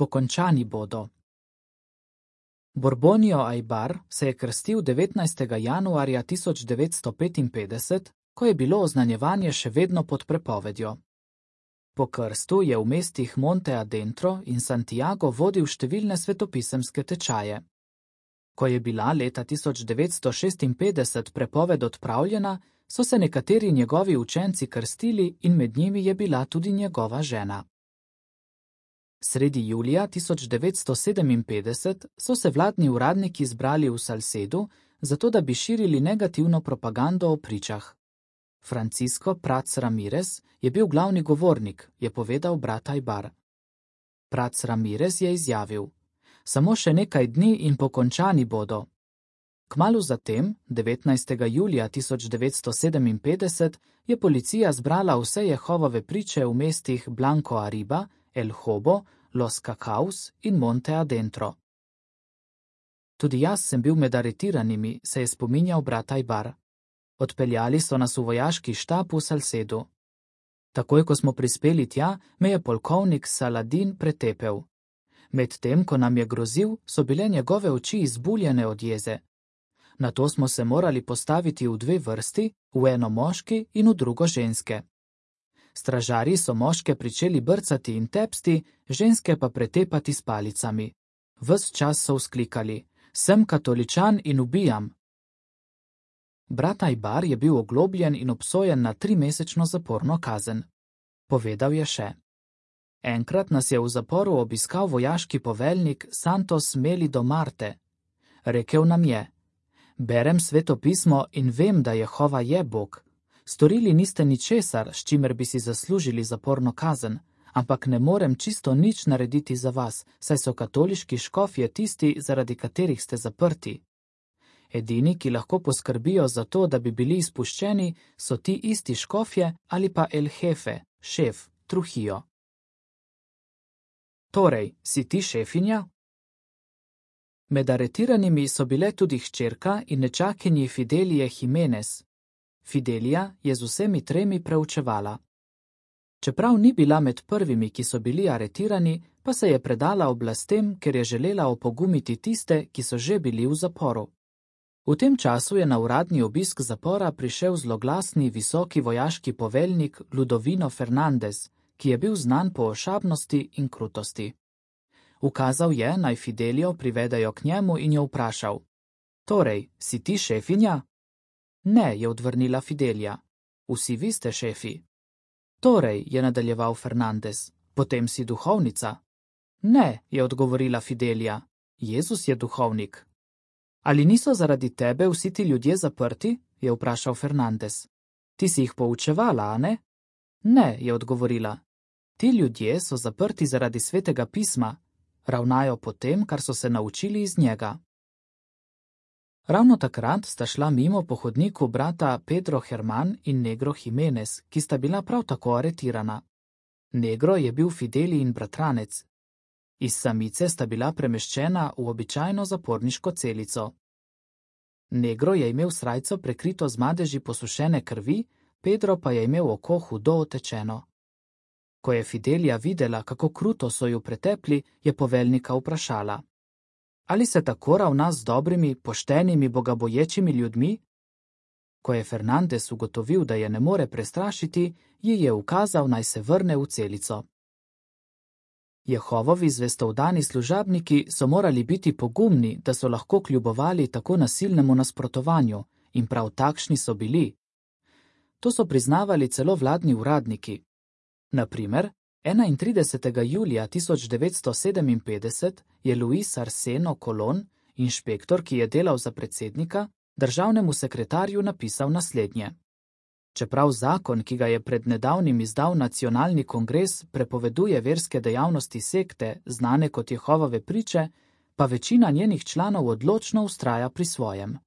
Pokončani bodo. Borbonio Ajbar se je krstil 19. januarja 1955, ko je bilo oznanjevanje še vedno pod prepovedjo. Po krstu je v mestih Monte Adentro in Santiago vodil številne svetopisemske tečaje. Ko je bila leta 1956 prepoved odpravljena, so se nekateri njegovi učenci krstili in med njimi je bila tudi njegova žena. Sredi julija 1957 so se vladni uradniki zbrali v Salcedu, zato da bi širili negativno propagando o pričah. Francisco Prats Ramirez je bil glavni govornik, je povedal brat Ajbar. Prats Ramirez je izjavil: Samo še nekaj dni in pokončani bodo. Kmalu zatem, 19. julija 1957, je policija zbrala vse Jehovove priče v mestih Blanco Arriba, El Hobo, Los Cacaos in Monte Adentro. Tudi jaz sem bil med aretiranimi, se je spominjal brat Ajbar. Odpeljali so nas v vojaški štab v Salcedu. Takoj, ko smo prispeli tja, me je polkovnik Saladin pretepel. Medtem, ko nam je grozil, so bile njegove oči izbuljene od jeze. Nato smo se morali postaviti v dve vrsti, v eno moški in v drugo ženske. Stražarji so moške pričeli brcati in tepsti, ženske pa pretepati s palicami. Ves čas so vzklikali: Sem katoličan in ubijam. Brat Ajbar je bil oglobljen in obsojen na 3-mesečno zaporno kazen. Povedal je še: Enkrat nas je v zaporu obiskal vojaški poveljnik Santos Melido Marte. Rekel nam je: Berem sveto pismo in vem, da Jehova je Bog. Storili niste ničesar, s čimer bi si zaslužili zaporno kazen, ampak ne morem čisto nič narediti za vas, saj so katoliški škofje tisti, zaradi katerih ste zaprti. Edini, ki lahko poskrbijo za to, da bi bili izpuščeni, so ti isti škofje ali pa El Jefe, šef, Trujillo. Torej, si ti šefinja? Med aretiranimi so bile tudi hčerka in nečakinji Fidelije Jimenez. Fidelija je z vsemi tremi preučevala. Čeprav ni bila med prvimi, ki so bili aretirani, pa se je predala oblastem, ker je želela opogumiti tiste, ki so že bili v zaporu. V tem času je na uradni obisk zapora prišel zloglasni visoki vojaški poveljnik Ludovino Fernandez, ki je bil znan po ošabnosti in krutosti. Ukazal je, naj Fidelijo privedajo k njemu in jo vprašal: Torej, si ti šefinja? Ne, je odvrnila Fidelija. Vsi vi ste šefi. Torej, je nadaljeval Fernandez, potem si duhovnica? Ne, je odgovorila Fidelija. Jezus je duhovnik. Ali niso zaradi tebe vsi ti ljudje zaprti? Je vprašal Fernandez. Ti si jih poučevala, a ne? Ne, je odgovorila. Ti ljudje so zaprti zaradi svetega pisma, ravnajo po tem, kar so se naučili iz njega. Ravno takrat sta šla mimo po hodniku brata Pedro Herman in Negro Jimenez, ki sta bila prav tako aretirana. Negro je bil Fidelijin bratranec. Iz samice sta bila premeščena v običajno zaporniško celico. Negro je imel srajco prekrito z madeži posušene krvi, Pedro pa je imel oko hudo otečeno. Ko je Fidelija videla, kako kruto so ju pretepli, je poveljnika vprašala: Ali se tako ravna z dobrimi, poštenimi, bogaboječimi ljudmi? Ko je Fernandez ugotovil, da je ne more prestrašiti, ji je ukazal, naj se vrne v celico. Jehovovi zvestovdani služabniki so morali biti pogumni, da so lahko kljubovali tako nasilnemu nasprotovanju, in prav takšni so bili. To so priznavali celo vladni uradniki. Na primer, 31. julija 1957 je Luis Arseno Colon, inšpektor, ki je delal za predsednika, državnemu sekretarju napisal naslednje: Čeprav zakon, ki ga je pred nedavnim izdal nacionalni kongres, prepoveduje verske dejavnosti sekte, znane kot Jehovove priče, pa večina njenih članov odločno vztraja pri svojem.